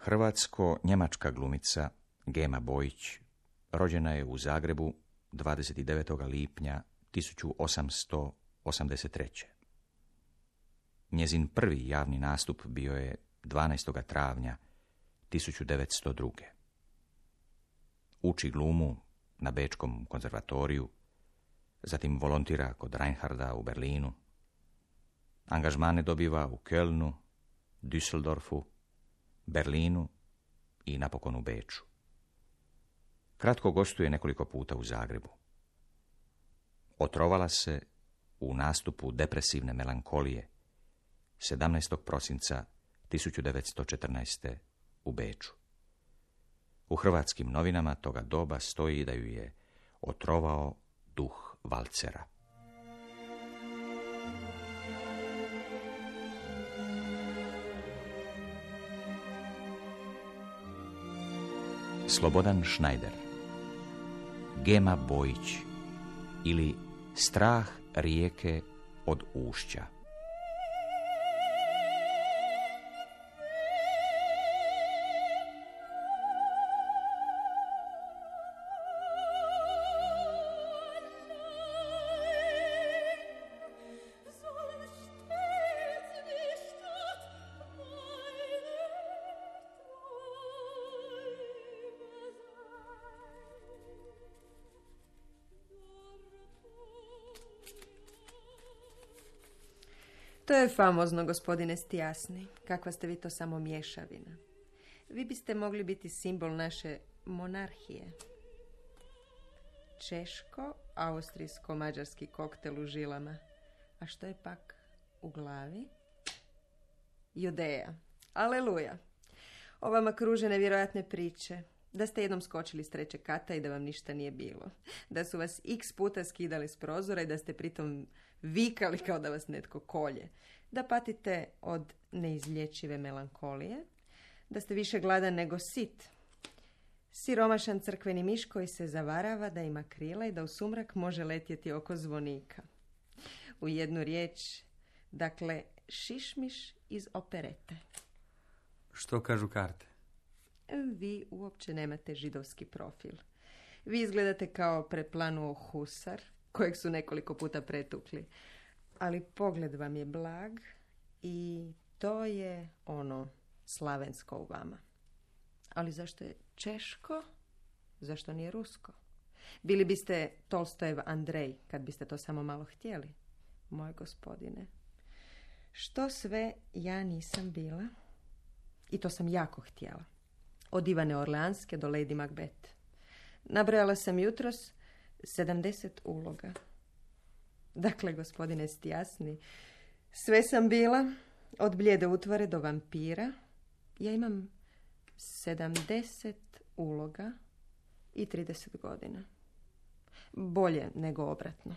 Hrvatsko-njemačka glumica Gema Bojić rođena je u Zagrebu 29. lipnja 1883. Njezin prvi javni nastup bio je 12. travnja 1902. Uči glumu na Bečkom konzervatoriju, zatim volontira kod Reinharda u Berlinu. Angažmane dobiva u Kölnu, Düsseldorfu, Berlinu i napokon u Beču. Kratko gostuje nekoliko puta u Zagrebu. Otrovala se u nastupu depresivne melankolije 17. prosinca 1914. u Beču. U hrvatskim novinama toga doba stoji da ju je otrovao duh valcera. Slobodan Schneider, Gema Bojić ili Strah rijeke od ušća. To je famozno, gospodine Stijasni. Kakva ste vi to samo mješavina. Vi biste mogli biti simbol naše monarhije. Češko-austrijsko-mađarski koktel u žilama. A što je pak u glavi? Judeja. Aleluja. O vama kruže nevjerojatne priče. Da ste jednom skočili s 3. kata i da vam ništa nije bilo. Da su vas x puta skidali s prozora i da ste pritom vikali kao da vas netko kolje. Da patite od neizlječive melankolije. Da ste više gladan nego sit. Siromašan crkveni miš koji se zavarava da ima krila i da u sumrak može letjeti oko zvonika. U jednu riječ, dakle, šišmiš iz operete. Što kažu karte? Vi uopće nemate židovski profil. Vi izgledate kao preplanuo husar, kojeg su nekoliko puta pretukli. Ali pogled vam je blag i to je ono slavensko u vama. Ali zašto je češko? Zašto nije rusko? Bili biste Tolstojev Andrej, kad biste to samo malo htjeli. Moj gospodine, što sve ja nisam bila? I to sam jako htjela. Od Ivane Orleanske do Lady Macbeth. Nabrojala sam jutros 70 uloga. Dakle, gospodine Stijasni, sve sam bila, od blijede utvore do vampira. Ja imam 70 uloga i 30 godina. Bolje nego obratno.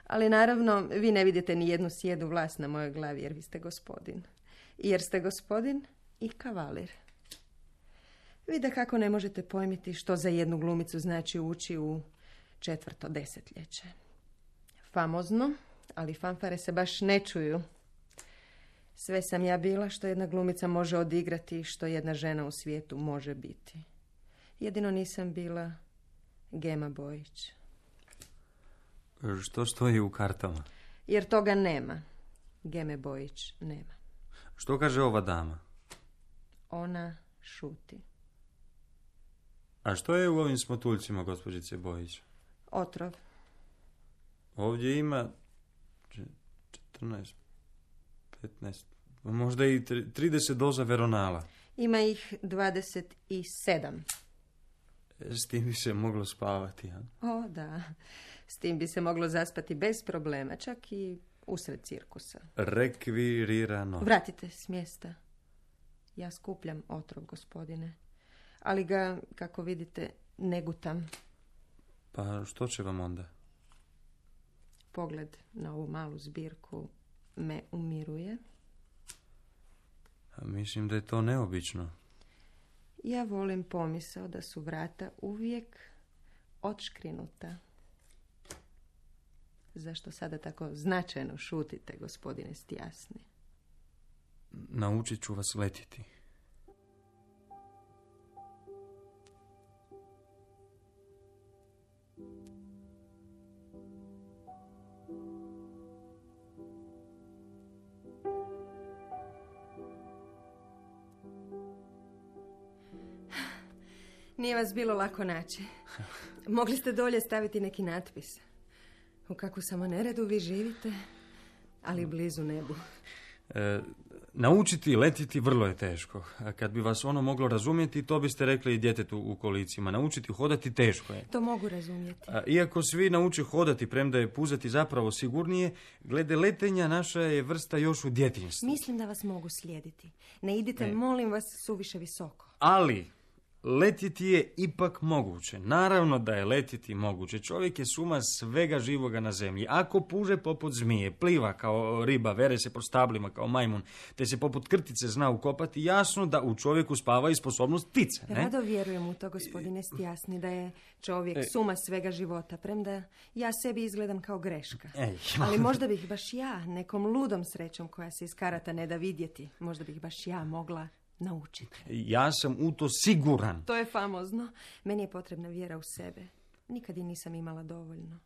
Ali naravno, vi ne vidite ni jednu sjedu vlast na mojoj glavi, jer vi ste gospodin. Jer ste gospodin i kavalir. Vi da kako ne možete pojmiti što za jednu glumicu znači ući u 4. desetljeće. Famozno, ali fanfare se baš ne čuju. Sve sam ja bila što jedna glumica može odigrati i što jedna žena u svijetu može biti. Jedino nisam bila Gema Bojić. Što stoji u kartama? Jer toga nema. Geme Bojić nema. Što kaže ova dama? Ona šuti. A što je u ovim smotuljcima, gospođice Bojić? Otrov. Ovdje ima 14, 15, možda i 30 doza veronala. Ima ih 27. S tim bi se moglo spavati, ja? O, da. S tim bi se moglo zaspati bez problema, čak i usred cirkusa. Rekvirirano. Vratite s mjesta. Ja skupljam otrov, gospodine. Ali ga, kako vidite, ne gutam. Pa što će vam onda? Pogled na ovu malu zbirku me umiruje. A mislim da je to neobično. Ja volim pomisao da su vrata uvijek odškrinuta. Zašto sada tako značajno šutite, gospodine Stijasni? Naučit ću vas letjeti. Nije vas bilo lako naći. Mogli ste dolje staviti neki natpis. U kakvu samo neredu vi živite, ali blizu nebu. Naučiti letjeti vrlo je teško. Kad bi vas ono moglo razumjeti, to biste rekli i djetetu u kolicima. Naučiti hodati teško je. To mogu razumjeti. Iako svi nauče hodati, premda je puzati zapravo sigurnije, glede letenja naša je vrsta još u djetinjstvu. Mislim da vas mogu slijediti. Ne idite, molim vas, suviše visoko. Ali letjeti je ipak moguće. Naravno da je letjeti moguće. Čovjek je suma svega živoga na zemlji. Ako puže poput zmije, pliva kao riba, vere se po stablima kao majmun, te se poput krtice zna ukopati, jasno da u čovjeku spava i sposobnost ptice. Ne? Rado vjerujem u to, gospodine Stjasni, da je čovjek suma svega života, premda ja sebi izgledam kao greška. Ali možda bih baš ja, nekom ludom srećom koja se iz karata ne da vidjeti, možda bih baš ja mogla naučiti. Ja sam u to siguran. To je famozno. Meni je potrebna vjera u sebe. Nikad je nisam imala dovoljno.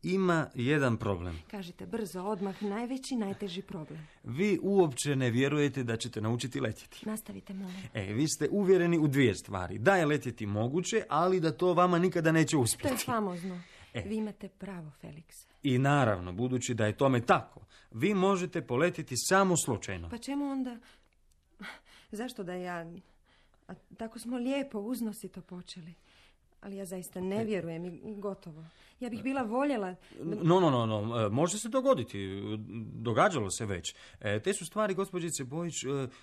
Ima jedan problem. Kažite brzo, odmah, najveći, najteži problem. Vi uopće ne vjerujete da ćete naučiti letjeti. Nastavite, molim. Vi ste uvjereni u dvije stvari. Da je letjeti moguće, ali da to vama nikada neće uspjeti. To je famozno. Vi imate pravo, Felix. I naravno, budući da je tome tako, vi možete poletjeti samo slučajno. Pa čemu onda... Zašto da ja... A tako smo lijepo, uznosito počeli. Ali ja zaista ne vjerujem i gotovo. Ja bih bila voljela... No. Može se dogoditi. Događalo se već. Te su stvari, gospođice Bojić,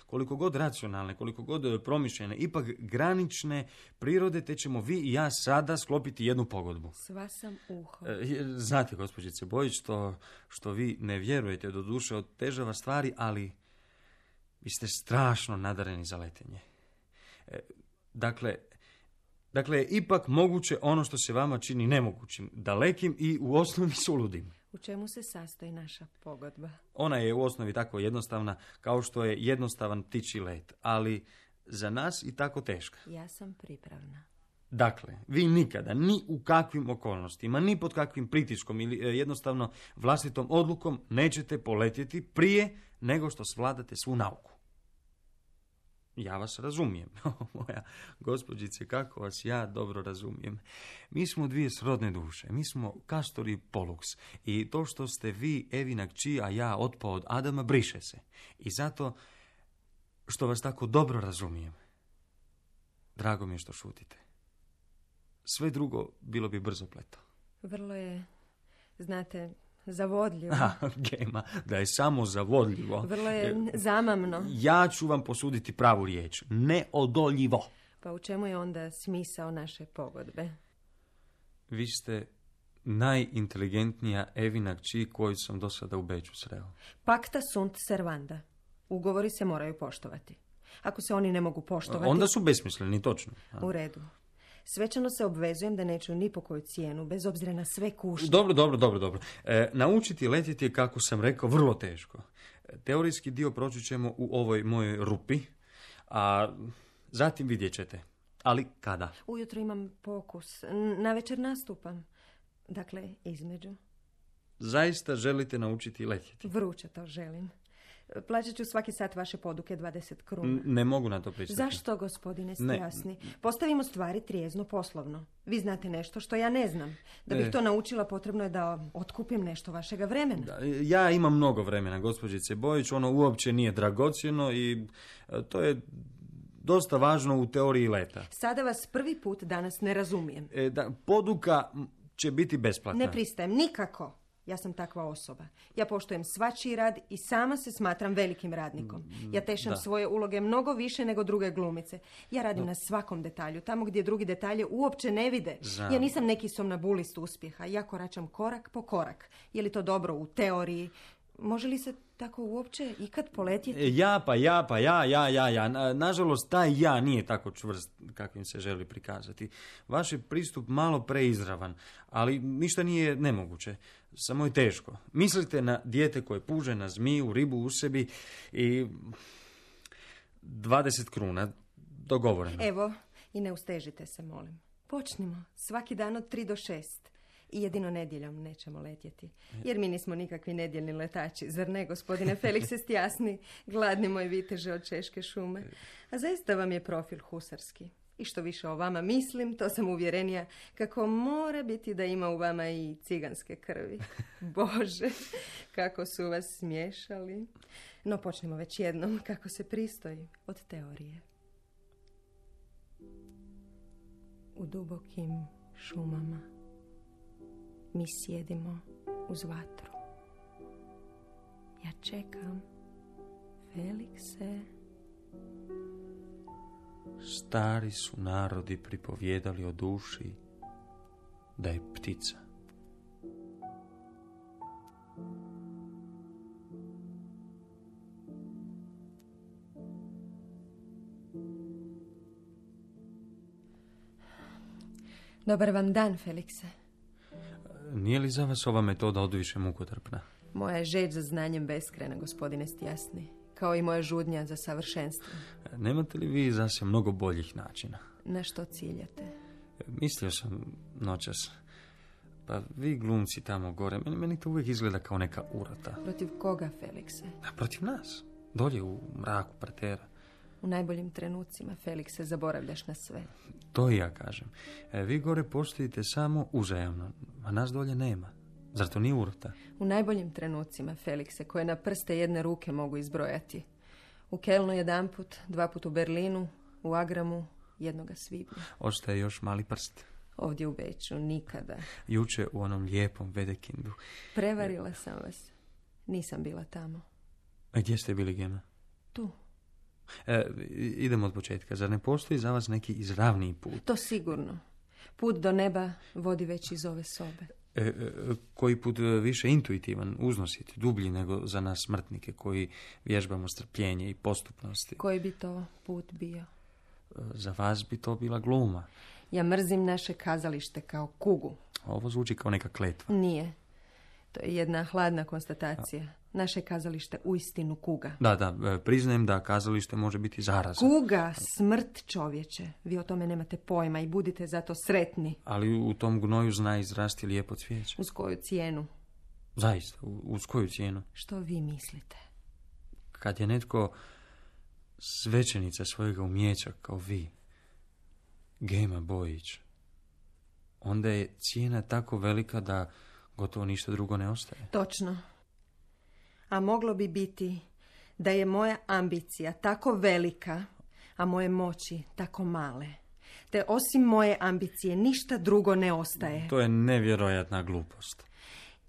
koliko god racionalne, koliko god promišljene, ipak granične prirode, te ćemo vi i ja sada sklopiti jednu pogodbu. Sva sam uho. Znate, gospođice Bojić, što vi ne vjerujete, doduše otežava stvari, ali vi ste strašno nadareni za letenje. Dakle, je ipak moguće ono što se vama čini nemogućim, dalekim i u osnovi suludim. U čemu se sastoji naša pogodba? Ona je u osnovi tako jednostavna kao što je jednostavan ptičji let, ali za nas i tako teška. Ja sam pripravna. Dakle, vi nikada, ni u kakvim okolnostima, ni pod kakvim pritiskom ili jednostavno vlastitom odlukom nećete poletjeti prije nego što svladate svu nauku. Ja vas razumijem, moja gospođice, kako vas ja dobro razumijem. Mi smo dvije srodne duše, mi smo Kastor i Poluks i to što ste vi Evina kći, a ja otpao od Adama, briše se. I zato što vas tako dobro razumijem, drago mi je što šutite. Sve drugo bilo bi brzopleto. Vrlo je, znate, zavodljivo. Gema, da je samo zavodljivo. Vrlo je zamamno. Ja ću vam posuditi pravu riječ. Neodoljivo. Pa u čemu je onda smisao naše pogodbe? Vi ste najinteligentnija Evina kći koju sam do sada u Beču sreo. Pacta sunt servanda. Ugovori se moraju poštovati. Ako se oni ne mogu poštovati... Onda su besmisleni, točno. U redu. Svečano se obvezujem da neću ni po koju cijenu, bez obzira na sve kušnje. Dobro. Naučiti letjeti je, kako sam rekao, vrlo teško. Teorijski dio proći ćemo u ovoj mojoj rupi, a zatim vidjet ćete. Ali kada? Ujutro imam pokus. Navečer nastupam. Dakle, između. Zaista želite naučiti letjeti? Vruće to želim. Plaćat ću svaki sat vaše poduke 20 kruna. Ne mogu na to pristati. Zašto, gospodine Stjasni? Postavimo stvari trijezno poslovno. Vi znate nešto što ja ne znam. Da bih to naučila, potrebno je da otkupim nešto vašega vremena. Ja imam mnogo vremena, gospođice Bojić. Ono uopće nije dragocjeno i to je dosta važno u teoriji leta. Sada vas prvi put danas ne razumijem. Poduka će biti besplatna. Ne pristajem, nikako. Ja sam takva osoba. Ja poštujem svačiji rad i sama se smatram velikim radnikom. Ja tešam svoje uloge mnogo više nego druge glumice. Ja radim na svakom detalju, tamo gdje drugi detalje uopće ne vide. Ja nisam neki somnambulist uspjeha. Ja koračam korak po korak. Je li to dobro u teoriji? Može li se tako uopće ikad poletjeti? Ja. Nažalost, taj ja nije tako čvrst kakvim se želi prikazati. Vaš je pristup malo preizravan, ali ništa nije nemoguće. Samo je teško. Mislite na dijete koje puže na zmiju, ribu u sebi i 20 kruna. Dogovoreno. Evo, i ne ustežite se, molim. Počnimo. Svaki dan od 3 do 6. I jedino nedjeljom nećemo letjeti. Jer mi nismo nikakvi nedjeljni letači. Zar ne, gospodine Felix Stjasni? Gladni moj viteže od Češke šume. A zaista vam je profil husarski. I što više o vama mislim, to sam uvjerenija kako mora biti da ima u vama i ciganske krvi. Bože, kako su vas smiješali. No počnemo već jednom, kako se pristoji, od teorije. U dubokim šumama mi sjedimo uz vatru. Ja čekam, Felikse. Stari su narodi pripovjedali o duši da je ptica. Dobar vam dan, Felikse. Nije li za vas ova metoda odviše mukotrpna? Moja je žeđ za znanjem beskrajna, gospodine Stjasni, kao i moja žudnja za savršenstvom. Nemate li vi zase mnogo boljih načina? Na što ciljate? Mislio sam noćas. Pa vi glumci tamo gore, meni to uvijek izgleda kao neka urota. Protiv koga, Felikse? A protiv nas. Dolje u mraku partera. U najboljim trenucima, Felikse, zaboravljaš na sve. To i ja kažem. Vi gore postojite samo uzajamno, a nas dolje nema. Zar to nije urota? U najboljim trenucima, Felikse, koje na prste jedne ruke mogu izbrojati. U Kelnu 1 put, 2 put u Berlinu, u Agramu 1. svibnja. Ostaje još mali prst. Ovdje u Beču nikada. Juče u onom lijepom Vedekindu. Prevarila sam vas. Nisam bila tamo. A gdje ste bili, Gema? Tu. Idemo od početka. Zar ne postoji za vas neki izravniji put? To sigurno. Put do neba vodi već iz ove sobe. Koji put više intuitivan, uznositi, dublji nego za nas smrtnike koji vježbamo strpljenje i postupnosti. Koji bi to put bio? Za vas bi to bila gluma. Ja mrzim naše kazalište kao kugu. Ovo zvuči kao neka kletva. Nije. To je jedna hladna konstatacija. Naše kazalište uistinu kuga. Da, priznajem da kazalište može biti zaraza. Kuga, smrt, čovječe. Vi o tome nemate pojma i budite zato sretni. Ali u tom gnoju zna izrasti lijepo cvijeće. Uz koju cijenu? Zaista, uz koju cijenu? Što vi mislite? Kad je netko svećenica svojega umjeća kao vi, Gema Bojić, onda je cijena tako velika da gotovo ništa drugo ne ostaje. Točno. A moglo bi biti da je moja ambicija tako velika, a moje moći tako male, te osim moje ambicije ništa drugo ne ostaje. To je nevjerojatna glupost.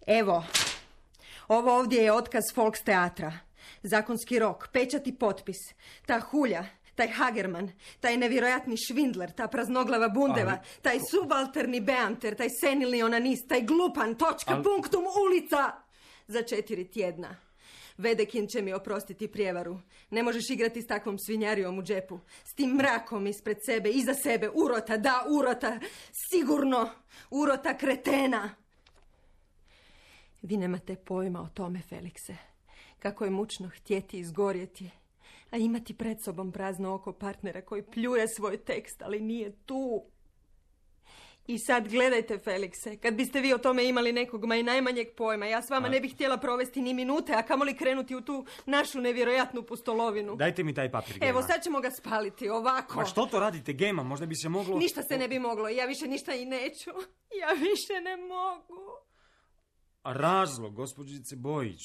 Evo, ovo ovdje je otkaz Volksteatra. Zakonski rok, pečat i potpis. Ta hulja, taj Hagerman, taj nevjerojatni švindler, ta praznoglava bundeva, taj subalterni beamter, taj senilni onanist, taj glupan, točka, punktum, ulica. Za 4 tjedna. Vedekin će mi oprostiti prijevaru. Ne možeš igrati s takvom svinjarijom u džepu. S tim mrakom ispred sebe, iza sebe. Urota, da, urota. Sigurno. Urota kretena. Vi nemate pojma o tome, Felikse. Kako je mučno htjeti izgorjeti, a imati pred sobom prazno oko partnera koji pljuje svoj tekst, ali nije tu. I sad gledajte, Felikse, kad biste vi o tome imali nekog ma i najmanjeg pojma, ja s vama ne bih htjela provesti ni minute, a kamoli krenuti u tu našu nevjerojatnu pustolovinu. Dajte mi taj papir, Gema. Evo, sad ćemo ga spaliti, ovako. Ma što to radite, Gema? Možda bi se moglo... Ništa se ne bi moglo, ja više ništa i neću. Ja više ne mogu. A razlog, gospođice Bojić?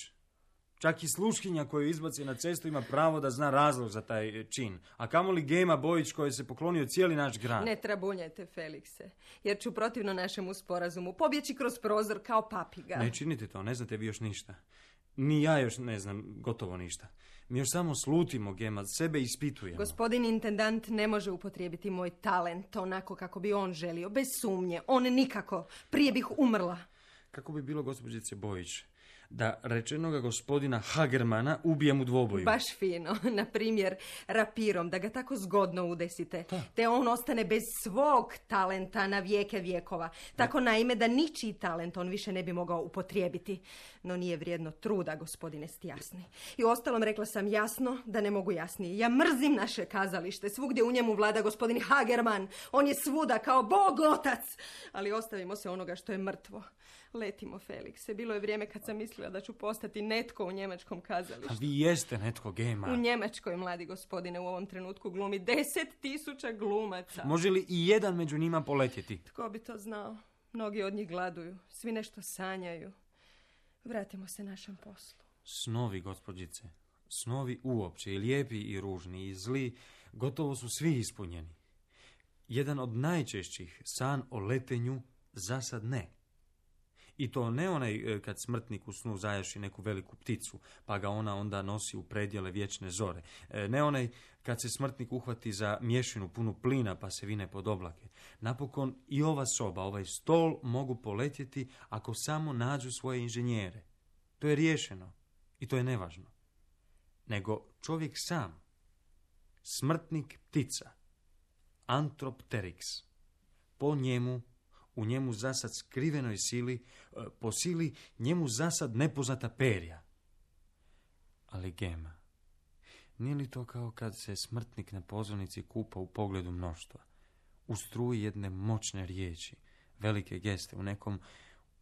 Čak i sluškinja koju izbaci na cestu ima pravo da zna razlog za taj čin. A kamoli Gema Bojić kojoj se poklonio cijeli naš grad. Ne trabunjajte, Felikse, jer ću protivno našemu sporazumu pobjeći kroz prozor kao papiga. Ne činite to, ne znate vi još ništa. Ni ja još ne znam gotovo ništa. Mi još samo slutimo, Gema, sebe ispitujemo. Gospodin intendant ne može upotrijebiti moj talent onako kako bi on želio, bez sumnje. On nikako. Prije bih umrla. Kako bi bilo, gospođice Bojić, da rečenoga gospodina Hagermana ubijem u dvoboju? Baš fino. Na primjer, rapirom, da ga tako zgodno udesite. Te on ostane bez svog talenta na vijeke vjekova. Tako naime da ničiji talent on više ne bi mogao upotrijebiti. No nije vrijedno truda, gospodine Stjasni. I ostalom rekla sam jasno da ne mogu jasnije. Ja mrzim naše kazalište. Svugdje u njemu vlada gospodin Hagerman. On je svuda kao Bog otac. Ali ostavimo se onoga što je mrtvo. Letimo, Felikse. Bilo je vrijeme kad sam mislila mislila da ću postati netko u njemačkom kazalištu. A vi jeste netko, Gema. U Njemačkoj, mladi gospodine, u ovom trenutku glumi 10.000 glumaca. Može li i jedan među njima poletjeti? Tko bi to znao? Mnogi od njih gladuju, svi nešto sanjaju. Vratimo se našem poslu. Snovi, gospođice. Snovi uopće, i lijepi i ružni i zli, gotovo su svi ispunjeni. Jedan od najčešćih, san o letenju, zasad ne. I to ne onaj kad smrtnik u snu zajaši neku veliku pticu, pa ga ona onda nosi u predjele vječne zore. Ne onaj kad se smrtnik uhvati za mješinu punu plina pa se vine pod oblake. Napokon i ova soba, ovaj stol mogu poletjeti ako samo nađu svoje inženjere. To je riješeno i to je nevažno. Nego čovjek sam, smrtnik ptica, antropterix, po njemu, u njemu zasad skrivenoj sili, po sili njemu zasad nepoznata perja. Ali Gema, nije li to kao kad se smrtnik na pozornici kupa u pogledu mnoštva, u struji jedne moćne riječi, velike geste, u nekom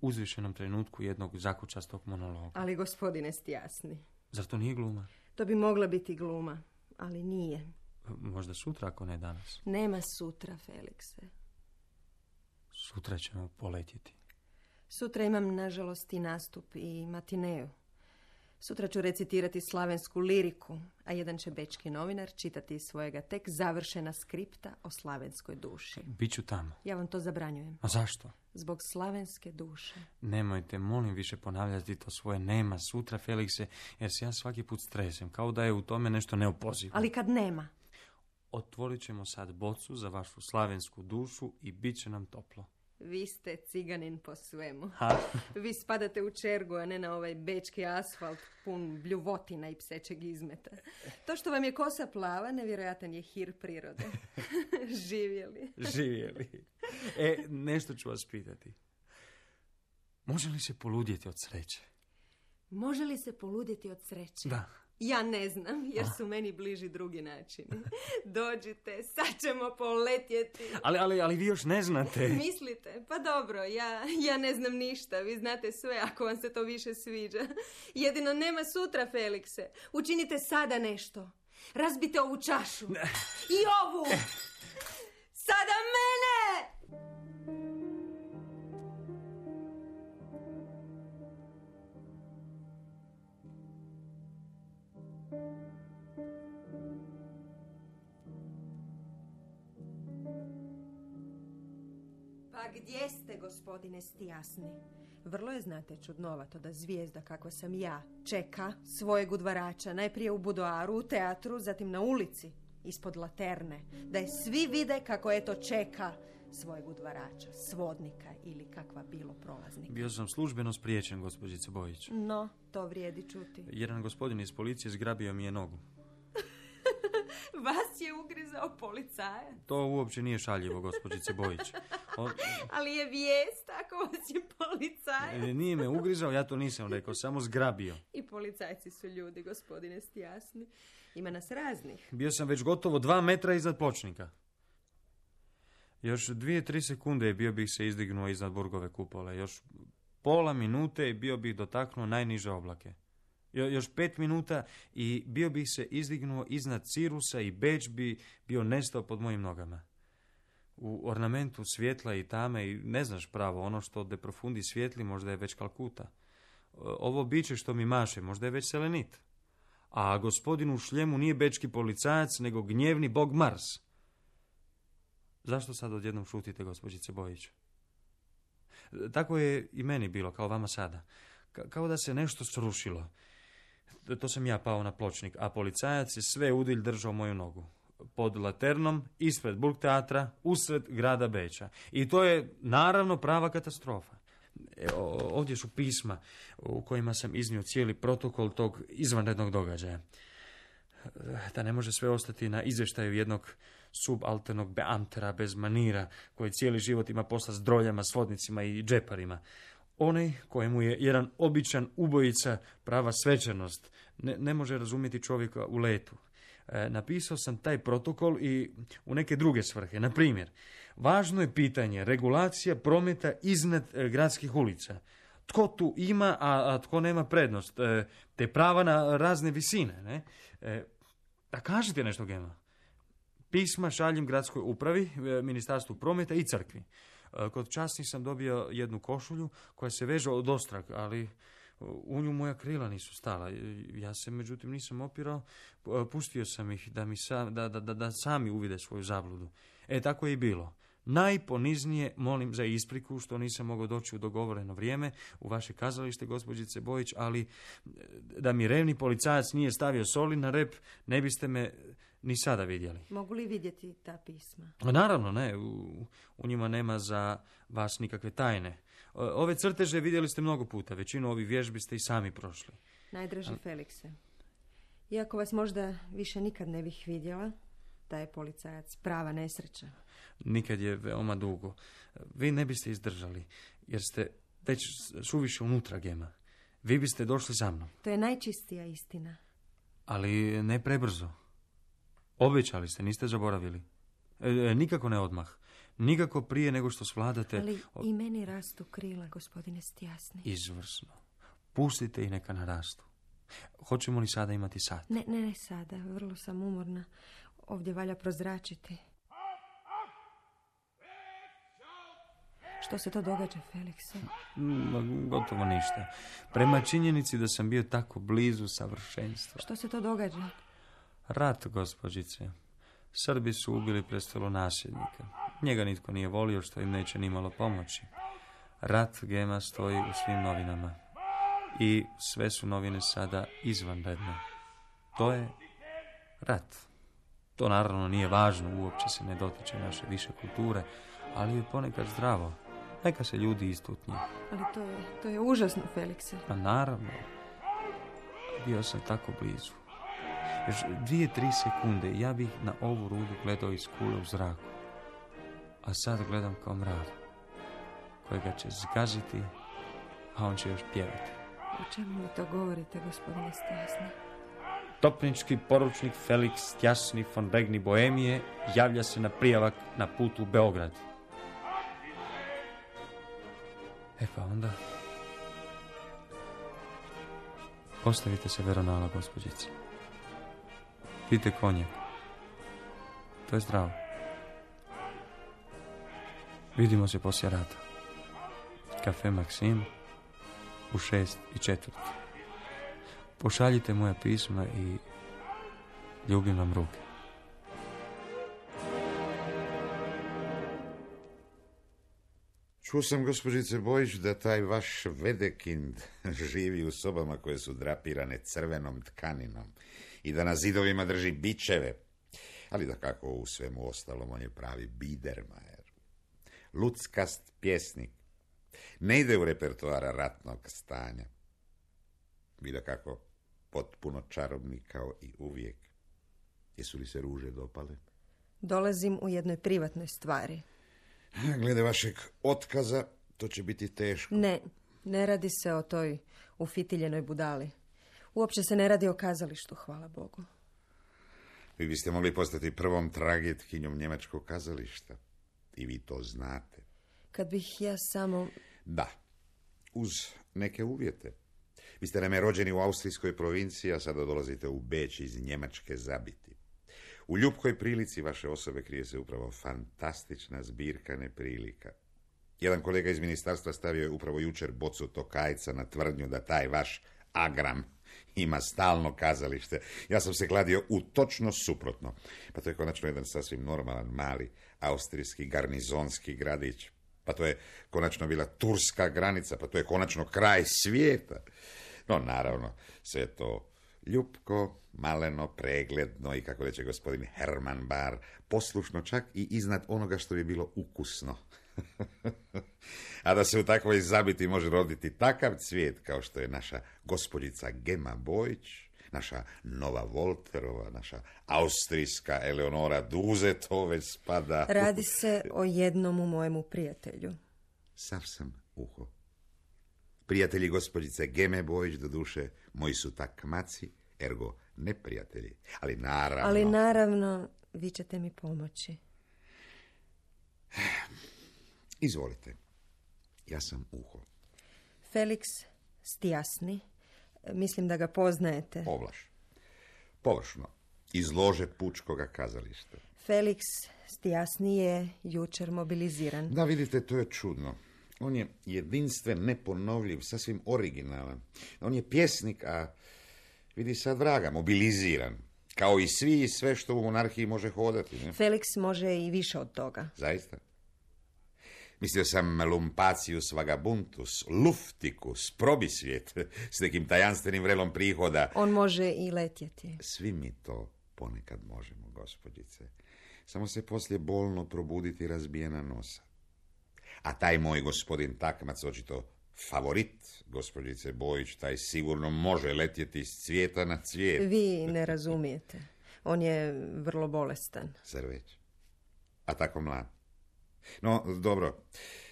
uzvišenom trenutku jednog zakučastog monologa? Ali gospodine Stijasni. Zar to nije gluma? To bi mogla biti gluma, ali nije. Možda sutra, ako ne danas. Nema sutra, Felikse. Sutra ćemo poletjeti. Sutra imam, nažalost, i nastup i matineju. Sutra ću recitirati slavensku liriku, a jedan će bečki novinar čitati iz svojega tek završena skripta o slavenskoj duši. Biću tamo. Ja vam to zabranjujem. A zašto? Zbog slavenske duše. Nemojte, molim, više ponavljati to svoje nema sutra, Felikse, jer se ja svaki put stresem, kao da je u tome nešto neopozivo. Ali kad nema? Otvorit ćemo sad bocu za vašu slavensku dušu i bit će nam toplo. Vi ste ciganin po svemu. Ha. Vi spadate u čergu, a ne na ovaj bečki asfalt pun bljuvotina i psećeg izmeta. To što vam je kosa plava, nevjerojatan je hir prirode. Živjeli. Živjeli. Nešto ću vas pitati. Može li se poludjeti od sreće? Može li se poludjeti od sreće? Da. Ja ne znam, jer su meni bliži drugi načini. Dođite, sad ćemo poletjeti. Ali vi još ne znate. Mislite? Pa dobro, ja ne znam ništa. Vi znate sve ako vam se to više sviđa. Jedino nema sutra, Felikse. Učinite sada nešto. Razbite ovu čašu. Ne. I ovu. Sada mene! Pa gdje ste, gospodine Stijasni? Vrlo je, znate, čudnovato da zvijezda kakva sam ja čeka svojeg udvarača, najprije u budoaru, u teatru, zatim na ulici, ispod laterne, da je svi vide kako eto čeka svojeg udvarača, svodnika ili kakva bilo prolaznika. Bio sam službeno spriječen, gospođice Bojić. No, to vrijedi čuti. Jedan gospodin iz policije zgrabio mi je nogu. Vas je ugrizao policajac? To uopće nije šaljivo, gospođice Bojić. Ali je vijest ako vas je policajac. Nije me ugrizao, ja to nisam rekao, samo zgrabio. I policajci su ljudi, gospodine Stijasni. Ima nas raznih. Bio sam već gotovo 2 metra iznad pločnika. Još 2-3 sekunde bio bih se izdignuo iznad Burgove kupole. Još pola minute bio bih dotaknuo najniže oblake. Još 5 minuta i bio bih se izdignuo iznad Cirusa i Beč bi bio nestao pod mojim nogama. U ornamentu svjetla i tame i ne znaš pravo, ono što de profundi svijetli možda je već Kalkuta. Ovo biće što mi maše možda je već Selenit. A gospodin u šljemu nije bečki policajac, nego gnjevni bog Mars. Zašto sad odjednom šutite, gospođice Bojić? Tako je i meni bilo, kao vama sada. Kao da se nešto srušilo. To sam ja pao na pločnik, a policajac je sve udilj držao moju nogu. Pod laternom, ispred Burgteatra, usred grada Beča. I to je naravno prava katastrofa. Ovdje su pisma u kojima sam iznio cijeli protokol tog izvanrednog događaja. Da ne može sve ostati na izvještaju jednog subalternog beamtera bez manira, koji cijeli život ima posla s droljama, svodnicima i džeparima. Onaj kojemu je jedan običan ubojica prava svečanost ne može razumjeti čovjeka u letu. Napisao sam taj protokol i u neke druge svrhe. Na primjer, važno je pitanje regulacija prometa iznad gradskih ulica. tko tu ima, a tko nema prednost, te prava na razne visine, ne? A kažite nešto, Gema. Pisma šaljem gradskoj upravi, ministarstvu prometa i crkvi. Kod časnih sam dobio jednu košulju koja se veže od ostrag, ali u nju moja krila nisu stala. Ja se međutim nisam opirao, pustio sam ih da sami uvide svoju zabludu. Tako je i bilo. Najponiznije molim za ispriku što nisam mogao doći u dogovoreno vrijeme u vaše kazalište, gospođice Bojić, ali da mi revni policajac nije stavio soli na rep, ne biste me ni sada vidjeli. Mogu li vidjeti ta pisma? Naravno, ne. U njima nema za vas nikakve tajne. Ove crteže vidjeli ste mnogo puta. Većinu ovih vježbi ste i sami prošli. Najdraži Felikse, iako vas možda više nikad ne bih vidjela, taj je policajac prava nesreća. Nikad je veoma dugo. Vi ne biste izdržali, jer ste već suviše unutra, Gema. Vi biste došli za mnom. To je najčistija istina. Ali ne prebrzo. Obećali ste, niste zaboravili. Nikako ne odmah. Nikako prije nego što svladate... Ali i meni rastu krila, gospodine Stjasni. Izvrsno. Pustite i neka narastu. Hoćemo li sada imati sat? Ne sada. Vrlo sam umorna. Ovdje valja prozračiti. Što se to događa, Felikse? Gotovo ništa. Prema činjenici da sam bio tako blizu savršenstva. Što se to događa? Rat, gospođice. Srbi su ubili prestolonasljednika. Njega nitko nije volio, što im neće nimalo pomoći. Rat, Gema, stoji u svim novinama. I sve su novine sada izvanredne. To je rat. To naravno nije važno, uopće se ne dotiče naše više kulture, ali je ponekad zdravo. Neka se ljudi istutnje. Ali to je užasno, Felikse. Pa naravno. Bio sam tako blizu. Još 2-3 sekunde ja bih na ovu rudu gledao iz kule u zraku. A sad gledam kao mrav, kojega će zgaziti, a on će još pjevati. O čemu mi to govorite, gospodine Stjasni? Topnički poručnik Felix Stjasni von Regni Bohemije javlja se na prijavak na putu u Beograd. Pa onda... Postavite se veronala, gospođice. Pijte konjak. To je zdravo. Vidimo se poslije rata. Kafe Maksim u 6:04. Pošaljite moja pisma i ljubim vam ruke. Čuo sam, gospođice Bojić, da taj vaš Vedekind živi u sobama koje su drapirane crvenom tkaninom i da na zidovima drži bičeve. Ali da kako u svemu ostalom, on je pravi Biedermajer. Luckast pjesnik. Ne ide u repertoara ratnog stanja. Vi da kako potpuno čarobni kao i uvijek. Jesu li se ruže dopale? Dolazim u jednoj privatnoj stvari. Glede vašeg otkaza, to će biti teško. Ne radi se o toj ufitiljenoj budali. Uopće se ne radi o kazalištu, hvala Bogu. Vi biste mogli postati prvom tragetkinjom njemačkog kazališta. I vi to znate. Kad bih ja samo... Da, uz neke uvjete. Vi ste naime rođeni u austrijskoj provinciji, a sada dolazite u Beč iz Njemačke zabiti. U ljubkoj prilici vaše osobe krije se upravo fantastična zbirka neprilika. Jedan kolega iz ministarstva stavio je upravo jučer bocu Tokajca na tvrdnju da taj vaš Agram ima stalno kazalište. Ja sam se kladio u točno suprotno. Pa to je konačno jedan sasvim normalan, mali, austrijski garnizonski gradić. Pa to je konačno bila turska granica, pa to je konačno kraj svijeta. No, naravno, sve je to ljupko, maleno, pregledno i, kako reče gospodin Herman Bar, poslušno čak i iznad onoga što bi bilo ukusno. A da se u takvoj zabiti može roditi takav cvijet kao što je naša gospođica Gema Bojić, naša Nova Volterova, naša austrijska Eleonora Duze, to već spada... Radi se o jednom mojemu prijatelju. Sav sam uho. Prijatelji gospođice Geme Bojić, do duše, moji su takmaci, ergo neprijatelji. Ali naravno, vi ćete mi pomoći. Izvolite. Ja sam uho. Felix Stjasni. Mislim da ga poznajete. Ovlaš. Površno. Iz lože pučkoga kazališta. Felix Stjasni je jučer mobiliziran. Da, vidite, to je čudno. On je jedinstven, neponovljiv, sasvim originalan. On je pjesnik, a vidi sad vraga, mobiliziran. Kao i svi i sve što u monarhiji može hodati. Ne? Felix može i više od toga. Zaista? Mislio sam lumpacius vagabuntus, luftikus, probisvijet, s nekim tajanstvenim vrelom prihoda. On može i letjeti. Svi mi to ponekad možemo, gospođice. Samo se poslije bolno probuditi razbijena nosa. A taj moj gospodin takmac, očito favorit, gospođice Bojić, taj sigurno može letjeti s cvijeta na cvijet. Vi ne razumijete. On je vrlo bolestan. Zar već? A tako mlad. No, dobro,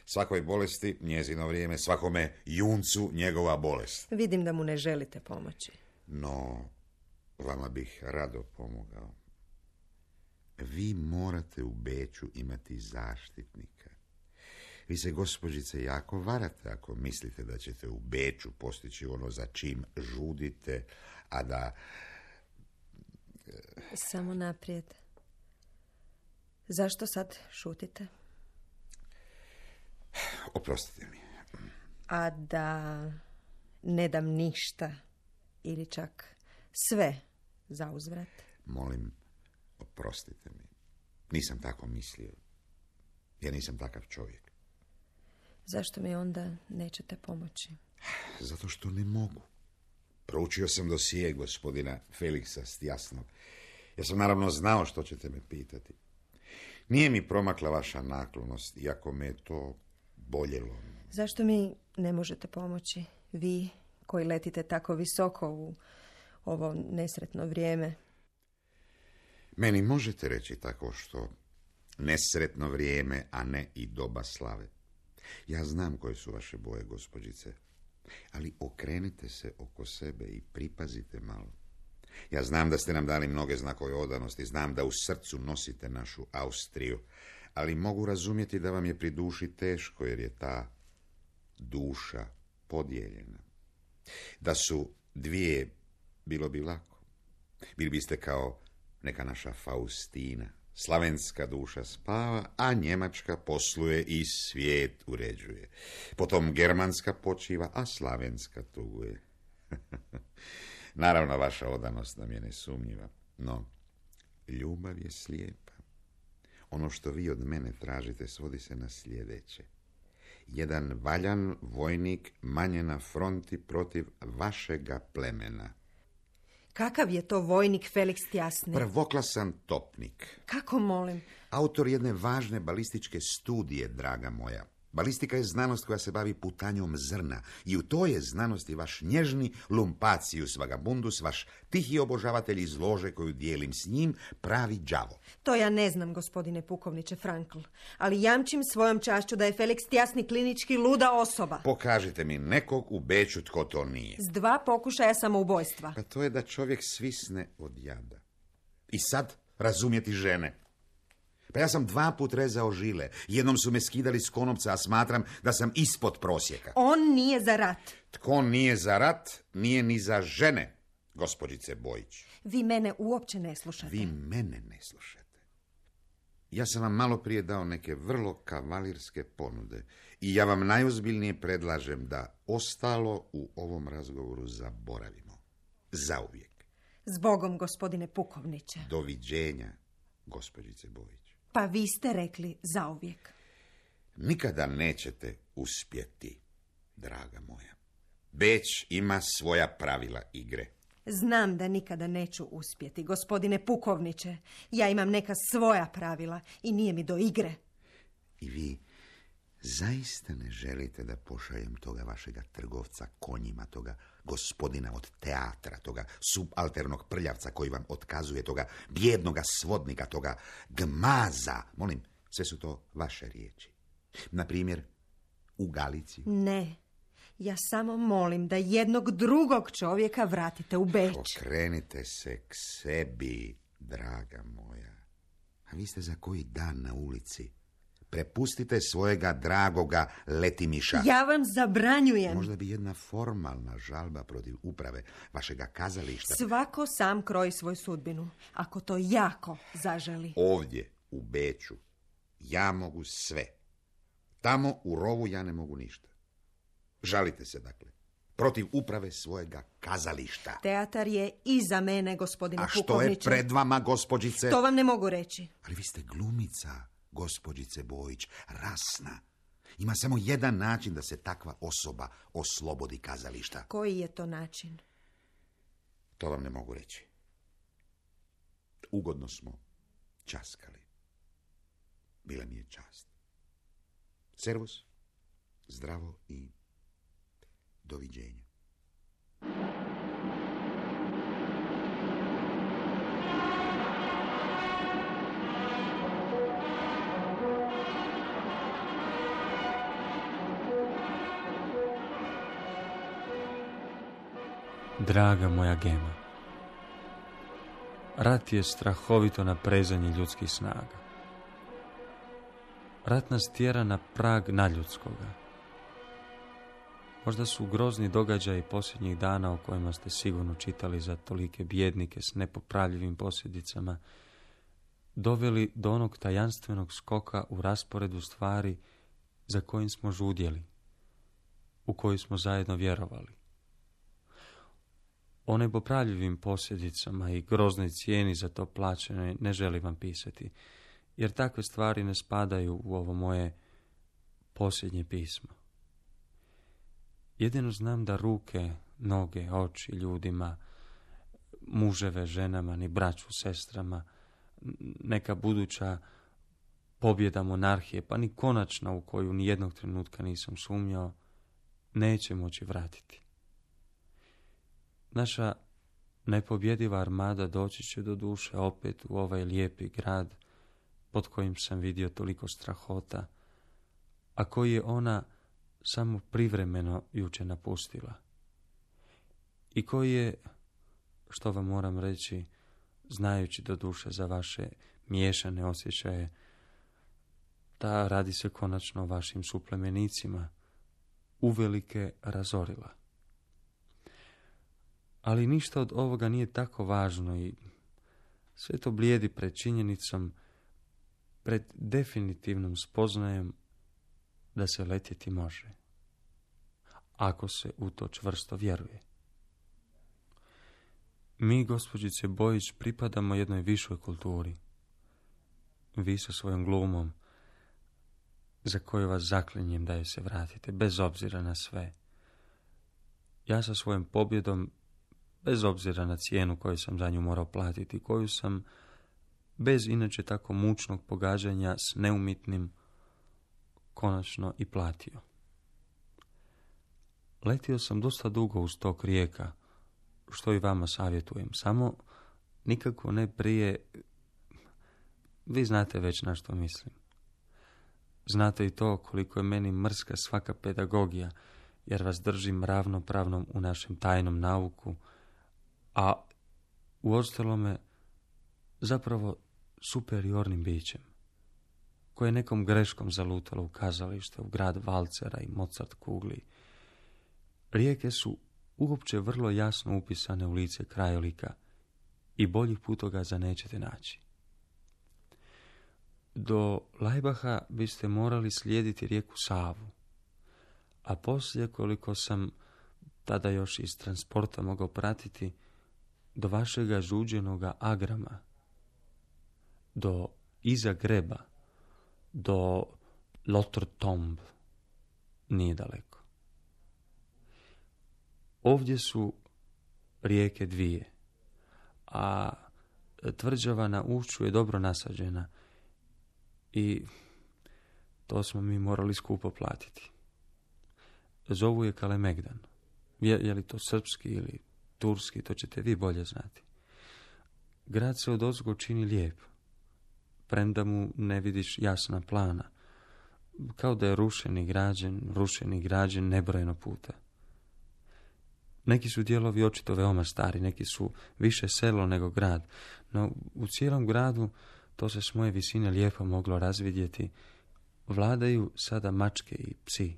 svakoj bolesti njezino vrijeme, svakome juncu njegova bolest. Vidim da mu ne želite pomoći. No, vama bih rado pomogao. Vi morate u Beču imati zaštitnika. Vi se, gospođice, jako varate ako mislite da ćete u Beču postići ono za čim žudite, a da... Samo naprijed. Zašto sad šutite? Oprostite mi. A da ne dam ništa ili čak sve za uzvrat? Molim, oprostite mi. Nisam tako mislio. Ja nisam takav čovjek. Zašto mi onda nećete pomoći? Zato što ne mogu. Proučio sam dosije gospodina Feliksa Stjasnog. Ja sam naravno znao što ćete me pitati. Nije mi promakla vaša naklonost, iako me je to boljelo. Zašto mi ne možete pomoći? Vi koji letite tako visoko u ovo nesretno vrijeme. Meni možete reći tako što nesretno vrijeme, a ne i doba slave. Ja znam koje su vaše boje, gospođice, ali okrenite se oko sebe i pripazite malo. Ja znam da ste nam dali mnoge znakove odanosti, znam da u srcu nosite našu Austriju, ali mogu razumjeti da vam je pri duši teško, jer je ta duša podijeljena. Da su dvije, bilo bi lako. Bili biste kao neka naša Faustina. Slavenska duša spava, a njemačka posluje i svijet uređuje. Potom germanska počiva, a slavenska tuguje. Naravno, vaša odanost nam je nesumnjiva, no ljubav je slijepa. Ono što vi od mene tražite svodi se na sljedeće. Jedan valjan vojnik manje na fronti protiv vašega plemena. Kakav je to vojnik Felix Stjasni? Prvoklasan topnik. Kako, molim? Autor jedne važne balističke studije, draga moja. Balistika je znanost koja se bavi putanjom zrna i u toj je znanosti vaš nježni lumpacius vagabundus, vaš tihi obožavatelj iz lože koju dijelim s njim, pravi đavo. To ja ne znam, gospodine pukovniče Frankl, ali jamčim svojom čašću da je Felix Stjasni klinički luda osoba. Pokažite mi nekog u Beču tko to nije. S 2 pokušaja samoubojstva. Pa to je da čovjek svisne od jada. I sad razumjeti žene. Pa ja sam 2 put rezao žile. Jednom su me skidali s konopca, a smatram da sam ispod prosjeka. On nije za rat. Tko nije za rat, nije ni za žene, gospođice Bojić. Vi mene uopće ne slušate. Vi mene ne slušate. Ja sam vam malo prije dao neke vrlo kavalirske ponude i ja vam najozbiljnije predlažem da ostalo u ovom razgovoru zaboravimo. Zauvijek. Zbogom, gospodine pukovniče. Doviđenja, gospođice Bojić. Pa vi ste rekli zauvijek. Nikada nećete uspjeti, draga moja. Beč ima svoja pravila igre. Znam da nikada neću uspjeti, gospodine pukovniče. Ja imam neka svoja pravila i nije mi do igre. I vi zaista ne želite da pošaljem toga vašega trgovca konjima, toga gospodina od teatra, toga subalternog prljavca koji vam otkazuje, toga bijednoga svodnika, toga gmaza. Molim, sve su to vaše riječi. Na primjer, u Galiciju. Ne, ja samo molim da jednog drugog čovjeka vratite u Beč. Okrenite se k sebi, draga moja. A vi ste za koji dan na ulici? Prepustite svojega dragoga Letimiša. Ja vam zabranjujem. Možda bi jedna formalna žalba protiv uprave vašega kazališta... Svako sam kroji svoju sudbinu, ako to jako zaželi. Ovdje, u Beču, ja mogu sve. Tamo, u rovu, ja ne mogu ništa. Žalite se, dakle, protiv uprave svojega kazališta. Teatar je iza mene, gospodine A što pukovniče. je pred vama, gospođice? To vam ne mogu reći. Ali vi ste glumica, gospođice Bojić, rasna. Ima samo jedan način da se takva osoba oslobodi kazališta. Koji je to način? To vam ne mogu reći. Ugodno smo časkali. Bila mi je čast. Servus, zdravo i doviđenja. Draga moja Gema, rat je strahovito naprezanje ljudskih snaga. Rat nas tjera na prag nadljudskoga. Možda su grozni događaji posljednjih dana o kojima ste sigurno čitali za tolike bjednike s nepopravljivim posljedicama doveli do onog tajanstvenog skoka u rasporedu stvari za kojim smo žudjeli, u koji smo zajedno vjerovali. O nepopravljivim posljedicama i groznoj cijeni za to plaćene ne želim vam pisati, jer takve stvari ne spadaju u ovo moje posljednje pismo. Jedino znam da ruke, noge, oči ljudima, muževe ženama, ni braću sestrama, neka buduća pobjeda monarhije, pa ni konačna u koju ni jednog trenutka nisam sumnjao, neće moći vratiti. Naša nepobjediva armada doći će do duše opet u ovaj lijepi grad pod kojim sam vidio toliko strahota, a koji je ona samo privremeno juče napustila. I koji je, što vam moram reći, znajući do duše za vaše miješane osjećaje, da radi se konačno o vašim suplemenicima, uvelike razorila. Ali ništa od ovoga nije tako važno i sve to blijedi pred činjenicom, pred definitivnom spoznajem da se letjeti može, ako se u to čvrsto vjeruje. Mi, gospođice Bojić, pripadamo jednoj višoj kulturi. Vi sa svojom glumom, za koju vas zaklinjem da je se vratite, bez obzira na sve. Ja sa svojom pobjedom, bez obzira na cijenu koju sam za nju morao platiti, koju sam, bez inače tako mučnog pogađanja s neumitnim, konačno i platio. Letio sam dosta dugo uz tok rijeka, što i vama savjetujem, samo nikako ne prije, vi znate već na što mislim. Znate i to koliko je meni mrska svaka pedagogija, jer vas držim ravnopravnom u našem tajnom nauku, a u ostalome zapravo superiornim bićem, koje je nekom greškom zalutalo u kazalište, u grad valcera i Mozart kugli. Rijeke su uopće vrlo jasno upisane u lice krajolika i boljih putokaza nećete naći. Do Lajbaha biste morali slijediti rijeku Savu, a poslije, koliko sam tada još iz transporta mogao pratiti, do vašega žuđenoga Agrama, do iza Greba, do Lotrtomb, nije daleko. Ovdje su rijeke dvije, a tvrđava na ušću je dobro nasađena i to smo mi morali skupo platiti. Zovu je Kalemegdan. Je li to srpski ili turski, to ćete vi bolje znati. Grad se odozgo čini lijep, premda mu ne vidiš jasna plana, kao da je rušen i građen nebrojeno puta. Neki su dijelovi očito veoma stari, neki su više selo nego grad, no u cijelom gradu to se s moje visine lijepo moglo razvidjeti vladaju sada mačke i psi.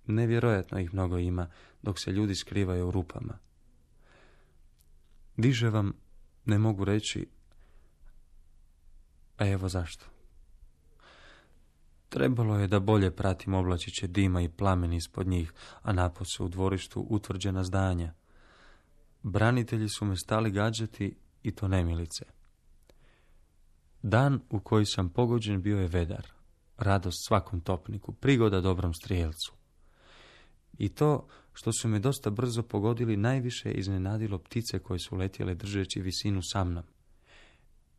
Nevjerojatno ih mnogo ima, dok se ljudi skrivaju u rupama. Više vam ne mogu reći, a evo zašto. Trebalo je da bolje pratim oblačiće dima i plameni ispod njih, a napose u dvorištu utvrđena zdanja. Branitelji su me stali gađati i to nemilice. Dan u koji sam pogođen bio je vedar, radost svakom topniku, prigoda dobrom strijelcu. I to što su me dosta brzo pogodili najviše iznenadilo ptice koje su letjele držeći visinu sa mnom.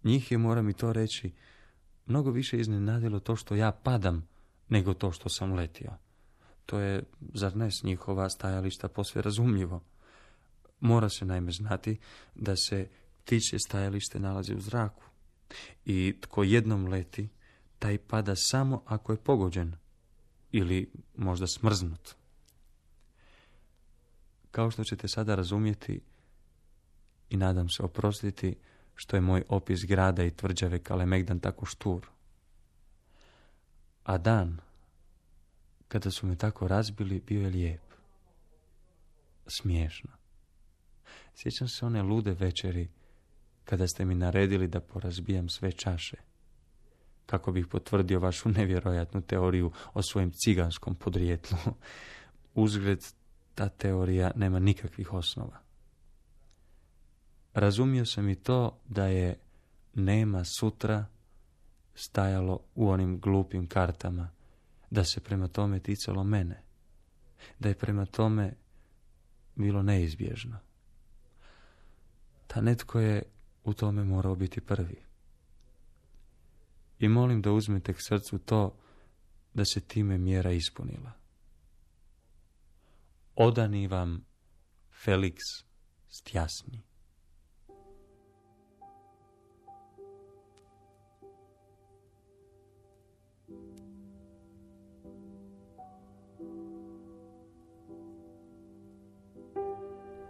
Njih je, moram i to reći, mnogo više iznenadilo to što ja padam, nego to što sam letio. To je, zar ne, s njihova stajališta posve razumljivo. Mora se naime znati da se ptičje stajalište nalazi u zraku. I tko jednom leti, taj pada samo ako je pogođen ili možda smrznut. Kao što ćete sada razumjeti i nadam se oprostiti što je moj opis grada i tvrđave Kalemegdan tako štur. A dan, kada su me tako razbili, bio je lijep. Smiješno. Sjećam se one lude večeri kada ste mi naredili da porazbijam sve čaše, kako bih potvrdio vašu nevjerojatnu teoriju o svojem ciganskom podrijetlu. Uzgled, ta teorija nema nikakvih osnova. Razumio sam i to da je nema sutra stajalo u onim glupim kartama, da se prema tome ticalo mene, da je prema tome bilo neizbježno. Ta netko je u tome morao biti prvi. I molim da uzmete k srcu to da se time mjera ispunila. Odani vam Felix Stjasni.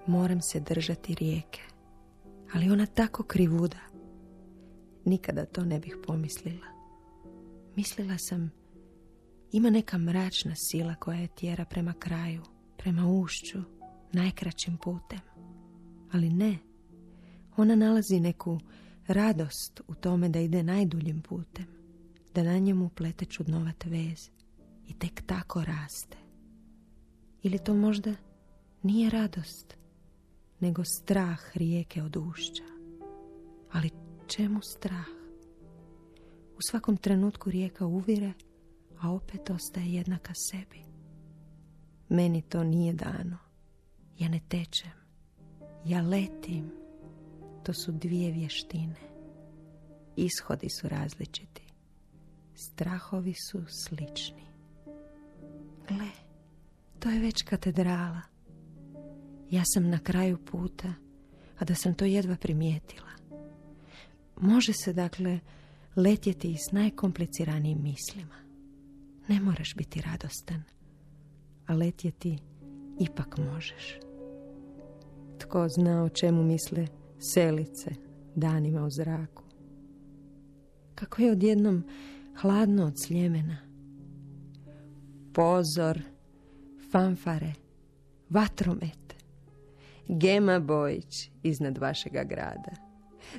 Moram se držati rijeke, ali ona tako krivuda. Nikada to ne bih pomislila. Mislila sam, ima neka mračna sila koja je tjera prema kraju, prema ušću, najkraćim putem. Ali ne, ona nalazi neku radost u tome da ide najduljim putem, da na njemu plete čudnovat vez i tek tako raste. Ili to možda nije radost, nego strah rijeke od ušća. Ali čemu strah? U svakom trenutku rijeka uvire, a opet ostaje jednaka sebi. Meni to nije dano. Ja ne tečem. Ja letim. To su dvije vještine. Ishodi su različiti. Strahovi su slični. Gle, to je već katedrala. Ja sam na kraju puta, a da sam to jedva primijetila. Može se, dakle, letjeti i s najkompliciranijim mislima. Ne moraš biti radostan, a letjeti ipak možeš. Tko zna o čemu misle selice danima u zraku. Kako je odjednom hladno od Sljemena. Pozor, fanfare, vatromet, Gema Bojić iznad vašega grada.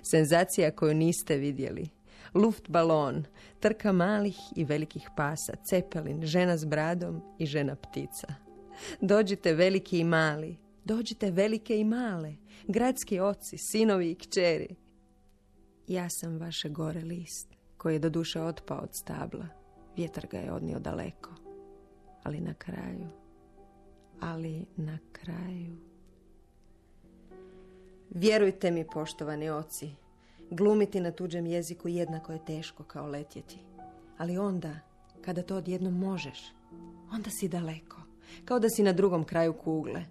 Senzacija koju niste vidjeli. Luft balon, trka malih i velikih pasa, cepelin, žena s bradom i žena ptica. Dođite veliki i mali, dođite velike i male, gradski oci, sinovi i kćeri. Ja sam vaše gore list, koji je doduše otpao od stabla. Vjetar ga je odnio daleko. Ali na kraju... Vjerujte mi, poštovani oci, glumiti na tuđem jeziku jednako je teško kao letjeti. Ali onda, kada to odjednom možeš, onda si daleko, kao da si na drugom kraju kugle.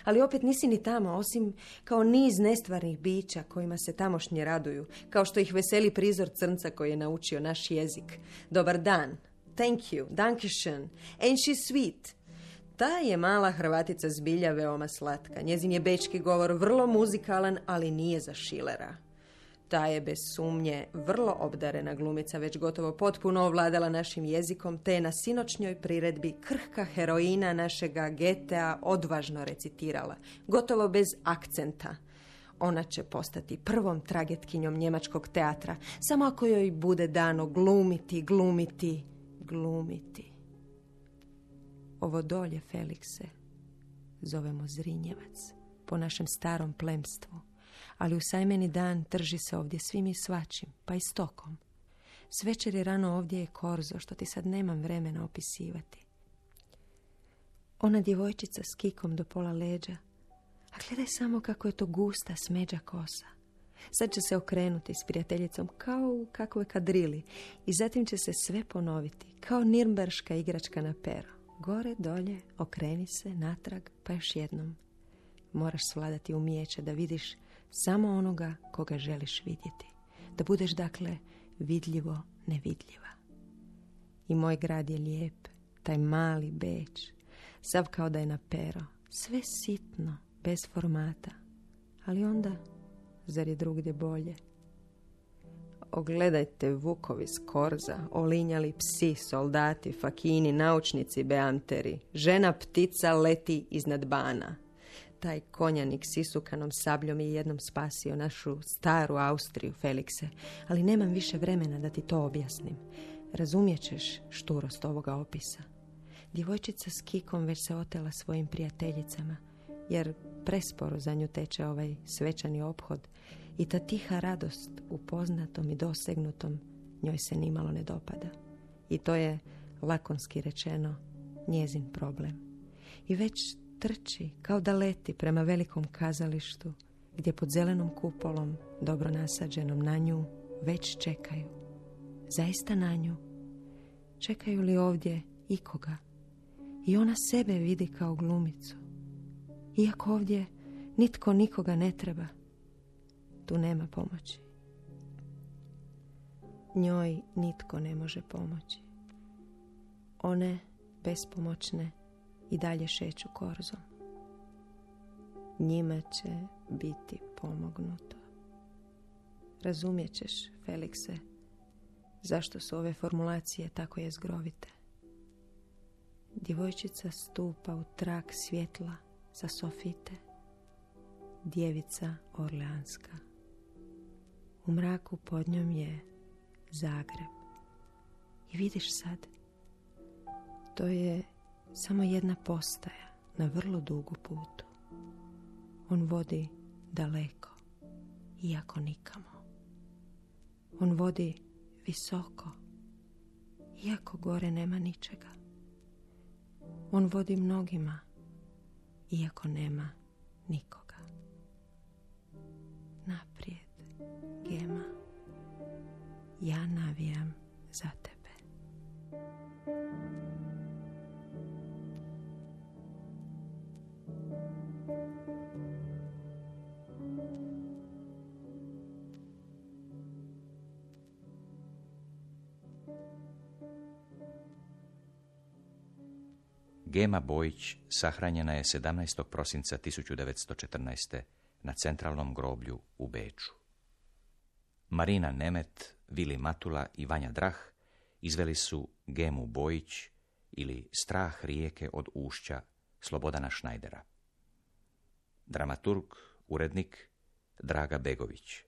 Ali opet nisi ni tamo, osim kao niz nestvarnih bića kojima se tamošnji raduju, kao što ih veseli prizor crnca koji je naučio naš jezik. Dobar dan, thank you, dankeschön, ain't she sweet? Ta je mala Hrvatica zbilja veoma slatka. Njezin je bečki govor vrlo muzikalan, ali nije za Schillera. Ta je bez sumnje vrlo obdarena glumica, već gotovo potpuno ovladala našim jezikom, te je na sinoćnjoj priredbi krhka heroina našega Goethea odvažno recitirala, gotovo bez akcenta. Ona će postati prvom tragetkinjom njemačkog teatra, samo ako joj bude dano glumiti. Ovo dolje, Felikse, zovemo Zrinjevac, po našem starom plemstvu, ali u sajmeni dan trži se ovdje svim i svačim, pa i stokom. S večeri rano ovdje je korzo, što ti sad nemam vremena opisivati. Ona djevojčica s kikom do pola leđa, a gledaj samo kako je to gusta smeđa kosa. Sad će se okrenuti s prijateljicom kao u kakvoj kadrili i zatim će se sve ponoviti, kao nirnberška igračka na pero. Gore, dolje, okreni se, natrag, pa još jednom. Moraš svladati umijeće da vidiš samo onoga koga želiš vidjeti. Da budeš, dakle, vidljivo nevidljiva. I moj grad je lijep, taj mali Beč, sav kao da je na pero, sve sitno, bez formata. Ali onda, zar je drugdje bolje? Ogledajte vukovi s korza, olinjali psi, soldati, fakini, naučnici, beamteri. Žena ptica leti iznad bana. Taj konjanik s isukanom sabljom je jednom spasio našu staru Austriju, Felikse, ali nemam više vremena da ti to objasnim. Razumijet ćeš šturost ovoga opisa. Djevojčica s kikom već se otela svojim prijateljicama, jer presporo za nju teče ovaj svečani ophod i ta tiha radost u poznatom i dosegnutom njoj se nimalo ne dopada. I to je, lakonski rečeno, njezin problem. I već trči kao da leti prema velikom kazalištu gdje pod zelenom kupolom, dobro nasađenom na nju, već čekaju. Zaista na nju. Čekaju li ovdje ikoga? I ona sebe vidi kao glumicu. Iako ovdje nitko nikoga ne treba, tu nema pomoći. Njoj nitko ne može pomoći. One, bespomoćne, i dalje šeću korzom. Njima će biti pomognuto. Razumjet ćeš, Felikse, zašto su ove formulacije tako jezgrovite. Djevojčica stupa u trag svjetla sa sofite. Djevica Orleanska. U mraku pod njom je Zagreb. I vidiš sad, to je samo jedna postaja na vrlo dugu putu. On vodi daleko, iako nikamo. On vodi visoko, iako gore nema ničega. On vodi mnogima, iako nema nikoga. Naprijed, Gema, ja navijam za tebe. Gema Bojić sahranjena je 17. prosinca 1914. na centralnom groblju u Beču. Marina Nemet, Vili Matula i Vanja Drah izveli su Gemu Bojić ili Strah rijeke od ušća Slobodana Šnajdera. Dramaturg, urednik Draga Begović.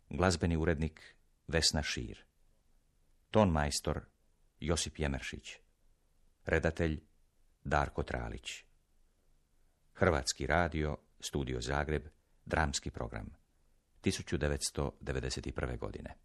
Glazbeni urednik Vesna Šir. Ton majstor Josip Jemeršić. Redatelj Darko Tralić. Hrvatski radio, Studio Zagreb, dramski program, 1991. godine.